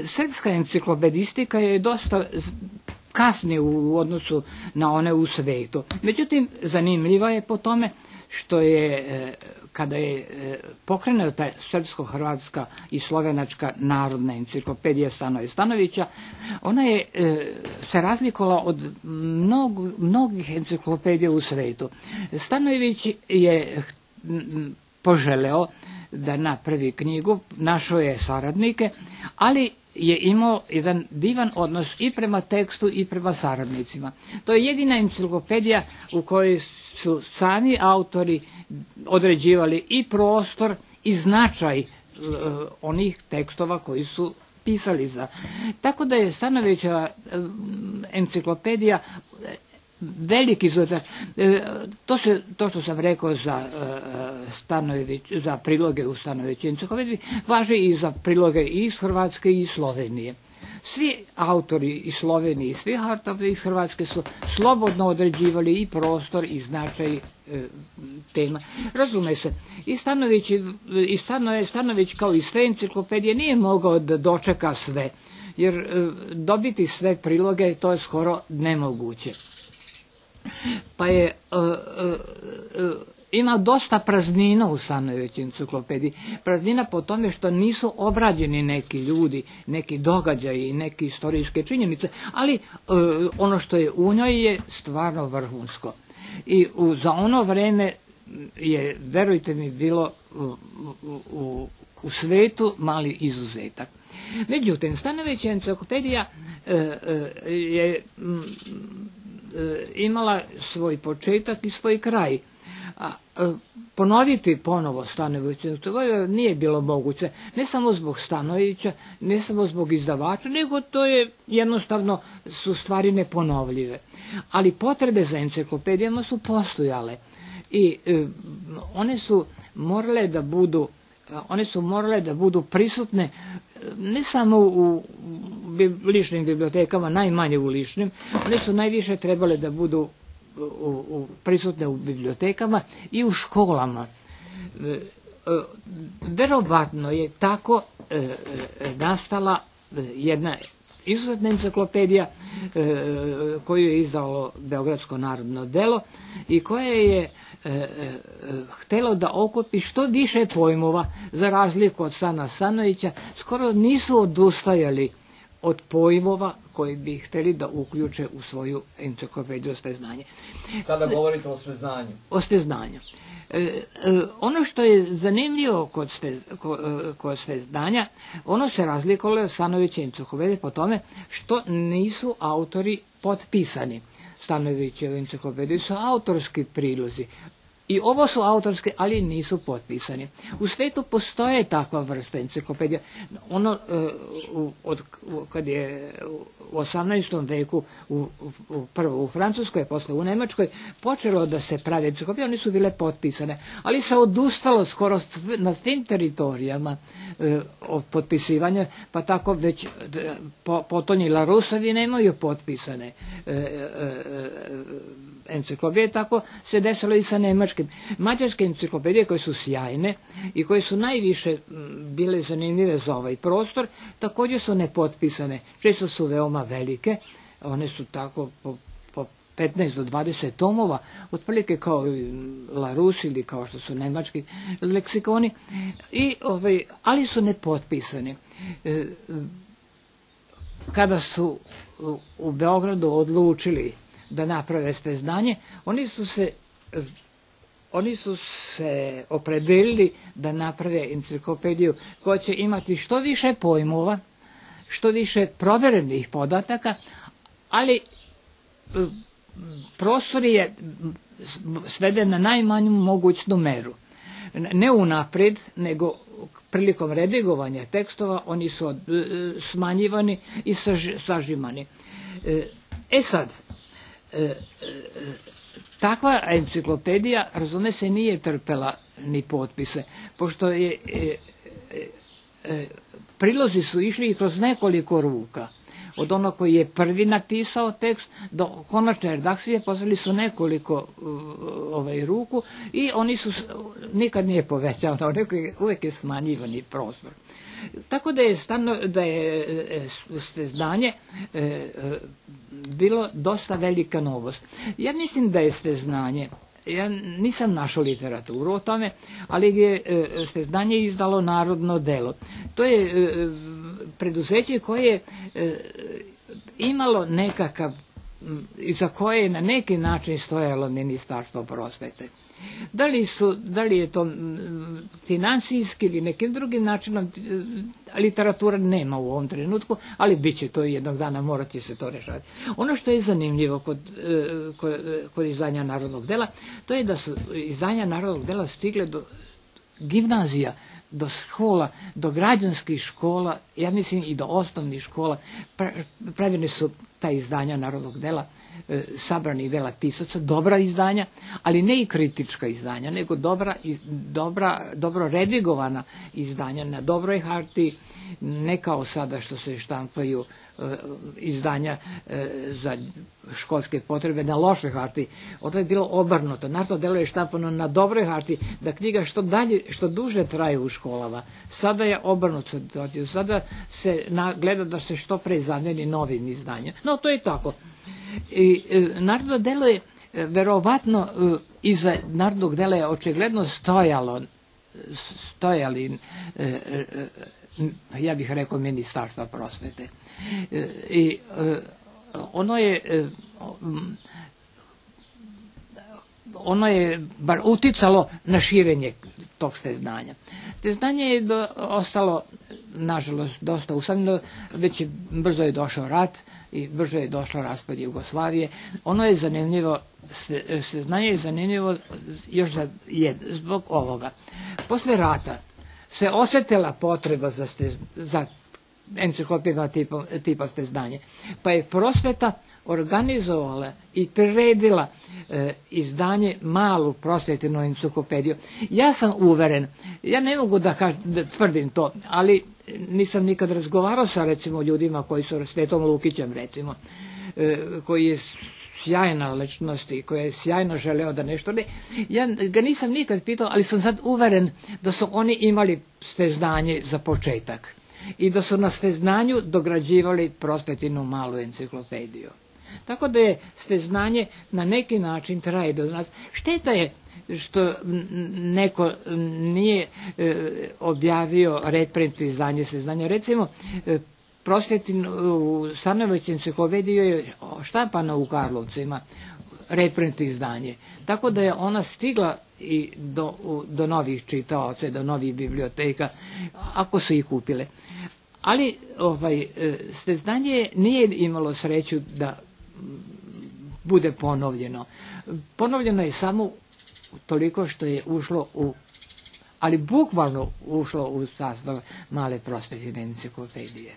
Srpska enciklopedistika je dosta kasni u odnosu na one u svetu. Međutim, zanimljiva je po tome što je, kada je pokrenuta srpsko-hrvatska i slovenačka narodna enciklopedija Stanoje Stanojevića, ona je se razlikovala od mnogih enciklopedija u svetu. Stanojević je poželeo da napravi knjigu, našao je saradnike, ali je imao jedan divan odnos i prema tekstu i prema saradnicima. To je jedina enciklopedija u kojoj su sami autori određivali i prostor i značaj onih tekstova koji su pisali za. Tako da je Stanojevićeva enciklopedija veliki izuzetak. To što sam rekao za priloge u Stanojevićevoj enciklopediji važi i za priloge i iz Hrvatske i iz Slovenije. Svi autori iz Slovenije i svi autori iz Hrvatske su slobodno određivali i prostor i značaj tema. Razume se, i Stanojević kao i sve enciklopedije nije mogao da dočeka sve, jer dobiti sve priloge to je skoro nemoguće. Pa je ima dosta praznina u Stanojevićevoj enciklopediji. Praznina po tome što nisu obrađeni neki ljudi, neki događaji i neke istorijske činjenice, ali ono što je u njoj je stvarno vrhunsko. I za ono vreme je, verujte mi, bilo u svetu mali izuzetak. Međutim, Stanojevićeva enciklopedija je imala svoj početak i svoj kraj. Ponoviti ponovo Stanojevićevu nije bilo moguće, ne samo zbog Stanojevića, ne samo zbog izdavača, nego to je jednostavno su stvari neponovljive. Ali potrebe za enciklopedijama su postojale i one su morale da budu prisutne ne samo u ličnim bibliotekama, najmanje u ličnim, one su najviše trebale da budu prisutne u bibliotekama i u školama. Verovatno je tako nastala jedna izuzetna enciklopedija koju je izdalo Beogradsko narodno delo i koja je htelo da okupi što više pojmova, za razliku od Stana Stanojevića. Skoro nisu odustajali od pojmova koji bi hteli da uključe u svoju enciklopediju Sveznanje. Sada govorite o sveznanju. O sveznanju. Ono što je zanimljivo kod Sveznanja, ono se razlikovalo od Stanojevićeve enciklopedije po tome što nisu autori potpisani. Stanojevićeve enciklopedije su autorski prilozi. I ovo su autorske, ali nisu potpisani. U svetu postoje takva vrsta enciklopedija. Ono, kad je u 18. veku, prvo u Francuskoj, posle u Nemačkoj, počelo da se pravi enciklopedije, one su bile potpisane. Ali se odustalo skoro na svim teritorijama od potpisivanja, pa tako već potonji Larusovi nemaju potpisane enciklopedije, tako se desilo i sa nemačkim. Mađarske enciklopedije koje su sjajne i koje su najviše bile zanimljive za ovaj prostor, također su nepotpisane. Često su veoma velike, one su tako po 15 do 20 tomova, otprilike kao Larus ili kao što su nemački leksikoni, ali su nepotpisani. Kada su u Beogradu odlučili da naprave Sveznanje, oni su se opredelili da naprave enciklopediju koja će imati što više pojmova, što više proverenih podataka, ali prostor je sveden na najmanju mogućnu meru. Ne unapred, nego prilikom redigovanja tekstova oni su smanjivani i sažimani. Sad, takva enciklopedija, razume se, nije trpela ni potpise, pošto prilozi su išli kroz nekoliko ruka. Od onog koji je prvi napisao tekst do konačne redakcije poslali su nekoliko ruku i oni su nikad nije povećavano, uvek je smanjivani prostor. Tako da je sveznanje bilo dosta velika novost. Ja mislim da je sveznanje, ja nisam našao literaturu o tome, ali je sveznanje izdalo Narodno delo. To je preduzeće koje je imalo nekakav, za koje je na neki način stojalo Ministarstvo prosvete. Da li je to financijski ili nekim drugim načinom, literatura nema u ovom trenutku, ali bit će to jednog dana, morati se to rešavati. Ono što je zanimljivo kod izdanja Narodnog dela, to je da su izdanja Narodnog dela stigle do gimnazija, do škola, do građanskih škola, ja mislim i do osnovnih škola. Pravljene su ta izdanja Narodnog dela, sabranih dela pisaca, dobra izdanja, ali ne i kritička izdanja, nego dobro redigovana izdanja na dobroj hartiji, ne kao sada što se štampaju izdanja za školske potrebe na lošoj hartiji. Ovo je bilo obrnuto. Narodno delo je štampano na dobroj hartiji, da knjiga što duže traje u školama. Sada je obrnuto. Sada se gleda da se što pre zameni novim izdanjem. No, to je tako. I Narodno delo je verovatno iza Narodnog dela je očigledno stojali ja bih rekao Ministarstva prosvete. I ono je bar uticalo na širenje tog steznanja. Steznanje je ostalo, nažalost, dosta usamljeno, već brzo je došao rat i brzo je došao raspad Jugoslavije. Ono je zanimljivo, steznanje je zanimljivo još zbog ovoga. Posle rata se osjetila potreba za enciklopedima tipa steznanje, pa je prosveta organizovala i priredila izdanje malu prosvetnu enciklopediju. Ja sam uveren, ja ne mogu da tvrdim to, ali nisam nikad razgovarao sa recimo ljudima koji su Svetom Lukićem recimo, koji je sjajna ličnost i koja je sjajno želeo da nešto ne. Ja ga nisam nikad pitao, ali sam sad uveren da su oni imali steznanje za početak i da su na steznanju dograđivali prosvetinu malu enciklopediju. Tako da je steznanje na neki način traje do nas. Šteta je što neko nije objavio reprint izdanje steznanja. Recimo, prosvetinu Stanojević enciklopediju je štampana u Karlovcima, reprint izdanje. Tako da je ona stigla i do novih čitaoca, do novih biblioteka, ako su ih kupile. Ali steznanje nije imalo sreću da bude ponovljeno. Ponovljeno je samo toliko što je ušlo ali bukvalno ušlo u sastav male prosvetne enciklopedije.